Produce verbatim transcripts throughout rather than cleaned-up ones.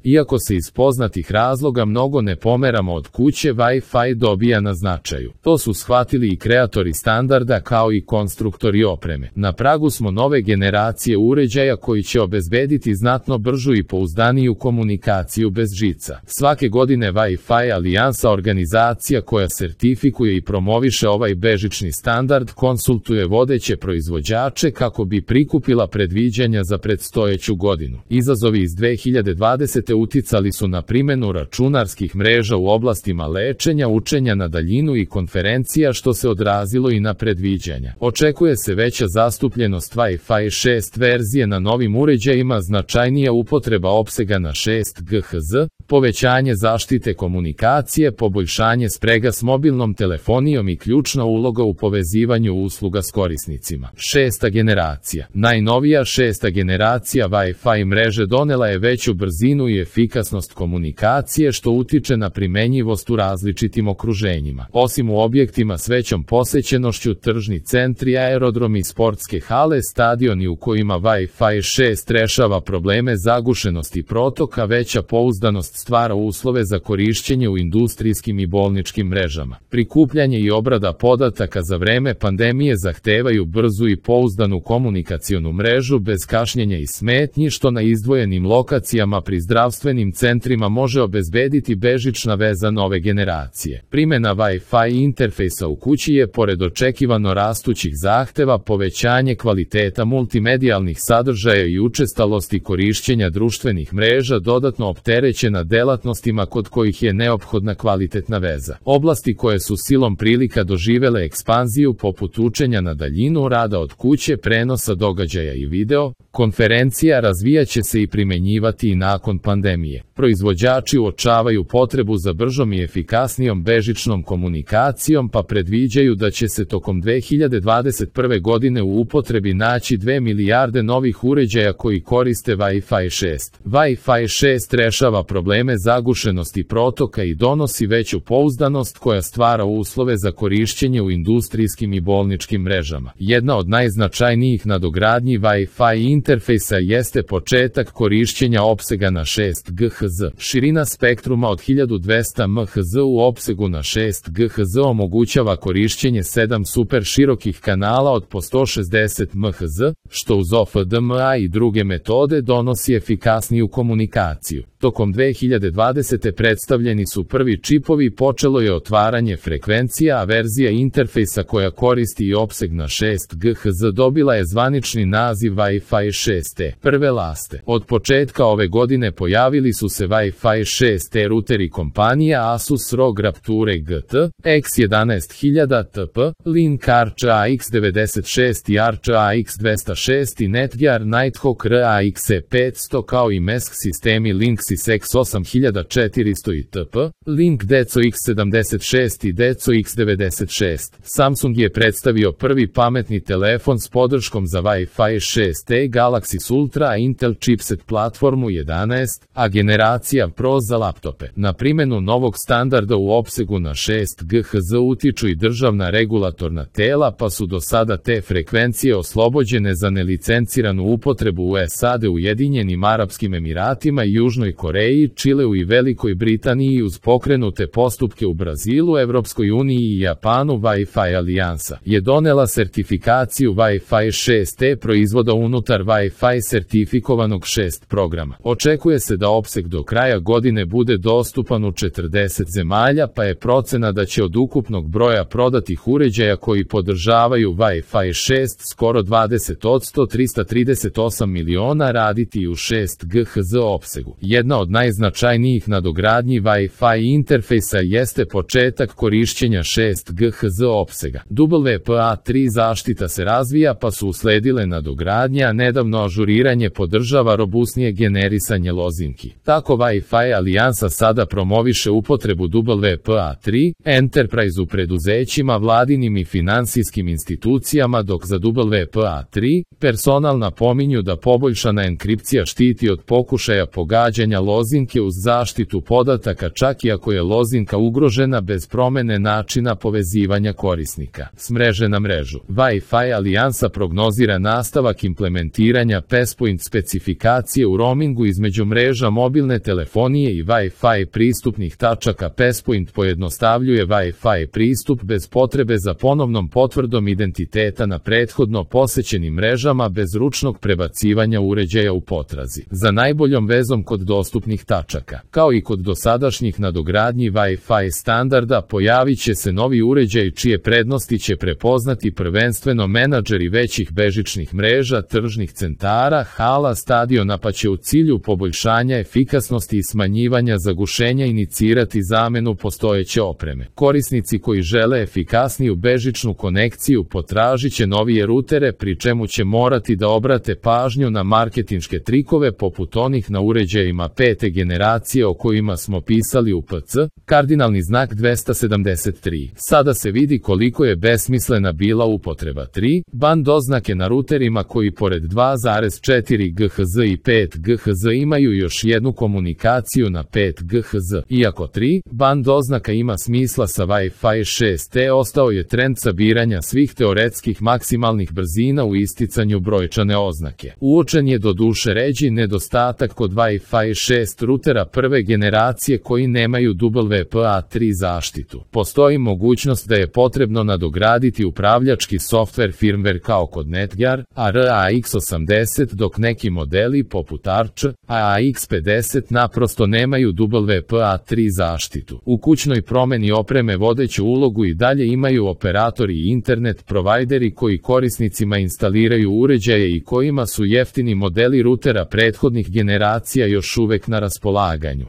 Iako se iz poznatih razloga mnogo ne pomeramo od kuće, Wi-Fi dobija na značaju. To su shvatili i kreatori standarda kao i konstruktori opreme. Na pragu smo nove generacije uređaja koji će obezbediti znatno bržu i pouzdaniju komunikaciju bez žica. Svake godine Wi-Fi alijansa, organizacija koja sertifikuje i promoviše ovaj bežični standard, konsultuje vodeće proizvođače kako bi prikupila predviđanja za predstojeću godinu. Izazovi iz dve hiljade dvadesete. uticali su na primjenu računarskih mreža u oblastima lečenja, učenja na daljinu i konferencija, što se odrazilo i na predviđanja. Očekuje se veća zastupljenost Wi-Fi šest verzije na novim uređajima, značajnija upotreba opsega na šest G H Z, povećanje zaštite komunikacije, poboljšanje sprega s mobilnom telefonijom i ključna uloga u povezivanju usluga s korisnicima. Šesta generacija. Najnovija šesta generacija Wi-Fi mreže donela je veću brzinu i efikasnost komunikacije, što utiče na primenjivost u različitim okruženjima. Osim u objektima s većom posećenošću, tržni centri, aerodromi, sportske hale, stadioni u kojima Wi-Fi šest rešava probleme zagušenosti protoka, veća pouzdanost stvara uslove za korišćenje u industrijskim i bolničkim mrežama. Prikupljanje i obrada podataka za vreme pandemije zahtevaju brzu i pouzdanu komunikacionu mrežu bez kašnjenja i smetnji, što na izdvojenim lokacijama pri zdravstvenim centrima može obezbediti bežična veza nove generacije. Primjena Wi-Fi interfejsa u kući je, pored očekivano rastućih zahteva, povećanje kvaliteta multimedijalnih sadržaja i učestalosti korišćenja društvenih mreža dodatno opterećena delatnostima kod kojih je neophodna kvalitetna veza. Oblasti koje su silom prilika doživele ekspanziju, poput učenja na daljinu, rada od kuće, prenosa događaja i video konferencija, razvijaće se i primenjivati i nakon pandemije. Proizvođači uočavaju potrebu za bržom i efikasnijom bežičnom komunikacijom, pa predviđaju da će se tokom dve hiljade dvadeset prve. godine u upotrebi naći dve milijarde novih uređaja koji koriste Wi-Fi šest. Wi-Fi šest rešava probleme zagušenosti protoka i donosi veću pouzdanost koja stvara uslove za korišćenje u industrijskim i bolničkim mrežama. Jedna od najznačajnijih nadogradnji Wi-Fi interfejsa jeste početak korišćenja opsega na šest G H Z. Širina spektruma od hiljadu dvesta megaherca u opsegu na šest G H Z omogućava korišćenje sedam super širokih kanala od po sto šezdeset megaherca, što uz O F D M A i druge metode donosi efikasniju komunikaciju. Tokom dve hiljade dvadesete. predstavljeni su prvi čipovi, počelo je otvaranje frekvencija, a verzija interfejsa koja koristi i opseg na šest G H Z dobila je zvanični naziv Wi-Fi šest E. Prve laste. Od početka ove godine pojavili su se Wi-Fi šest E ruteri kompanija Asus R O G Rapture G T, X jedanaest hiljada T P, Link R C A X devedeset šest i R C A X dvesta šest i Netgear Nighthawk R A X E petsto, kao i M E S C sistemi Linksys X osam hiljada četiristo i T P, Link Deco X sedamdeset šest i Deco X devedeset šest. Samsung je predstavio prvi pametni telefon s podrškom za Wi-Fi šest E, Galaxy Ultra, a Intel chipset platformu jedanaest, a generacija Pro za laptope. Na primjenu novog standarda u opsegu na šest G H Z utiču i državna regulatorna tela, pa su do sada te frekvencije oslobođene za nelicenciranu upotrebu u S A D, Ujedinjenim Arapskim Emiratima i Južnoj Koreji, Čileu i Velikoj Britaniji uz pokrenute postupke u Brazilu, Evropskoj uniji i Japanu. Wi-Fi alijansa je donela sertifikaciju Wi-Fi šest E proizvoda unutar Wi-Fi sertifikovanog šest programa. Očekuje se da opseg do kraja godine bude dostupan u četrdeset zemalja, pa je procena da će od ukupnog broja prodatih uređaja koji podržavaju Wi-Fi šest skoro dvadeset posto, trista trideset osam miliona, raditi u šest G H Z opsegu. Jedna od najznačajnijih nadogradnji Wi-Fi interfejsa jeste početak korišćenja šest G H Z opsega. W P A tri zaštita se razvija, pa su usledile nadogradnje, a nedavno ažuriranje podržava robusnije generisanje lozinki. Tako Wi-Fi alijansa sada promoviše upotrebu W P A tri Enterprise u preduzećima, vladinim i finansijskim institucijama, dok za W P A tri personal napominju da poboljšana enkripcija štiti od pokušaja pogađanja lozinke podatke uz zaštitu podataka čak i ako je lozinka ugrožena bez promene načina povezivanja korisnika s mreže na mrežu. Wi-Fi alijansa prognozira nastavak implementiranja Passpoint specifikacije u roamingu između mreža mobilne telefonije i Wi-Fi pristupnih tačaka. Passpoint pojednostavljuje Wi-Fi pristup bez potrebe za ponovnom potvrdom identiteta na prethodno posećenim mrežama bez ručnog prebacivanja uređaja u potrazi za najboljom vezom kod dostupnih tačaka. Kao i kod dosadašnjih nadogradnji Wi-Fi standarda, pojavit će se novi uređaj čije prednosti će prepoznati prvenstveno menadžeri većih bežičnih mreža, tržnih centara, hala, stadiona, pa će u cilju poboljšanja efikasnosti i smanjivanja zagušenja inicirati zamenu postojeće opreme. Korisnici koji žele efikasniju bežičnu konekciju potražit će novije rutere, pri čemu će morati da obrate pažnju na marketinške trikove poput onih na uređajima pete generacije o kojima smo pisali u P C, kardinalni znak dvesta sedamdeset tri. Sada se vidi koliko je besmislena bila upotreba tri band oznake na ruterima koji pored dva zarez četiri gigaherca i pet gigaherca imaju još jednu komunikaciju na pet gigaherca. Iako tri band oznaka ima smisla sa Wi-Fi šest E, ostao je trend sabiranja svih teoretskih maksimalnih brzina u isticanju brojčane oznake. Uočen je doduše ređi nedostatak kod Wi-Fi šest rutera prve generacije koji nemaju W P A tri zaštitu. Postoji mogućnost da je potrebno nadograditi upravljački softver firmware kao kod Netgear, A R A X osamdeset, dok neki modeli poput Arch, A A X pedeset naprosto nemaju W P A tri zaštitu. U kućnoj promeni opreme vodeću ulogu i dalje imaju operatori i internet provajderi koji korisnicima instaliraju uređaje i kojima su jeftini modeli rutera prethodnih generacija još uvek na raspolaganju.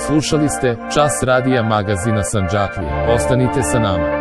Slušali ste Čas radija magazina Sandžaklija. Ostanite sa nama.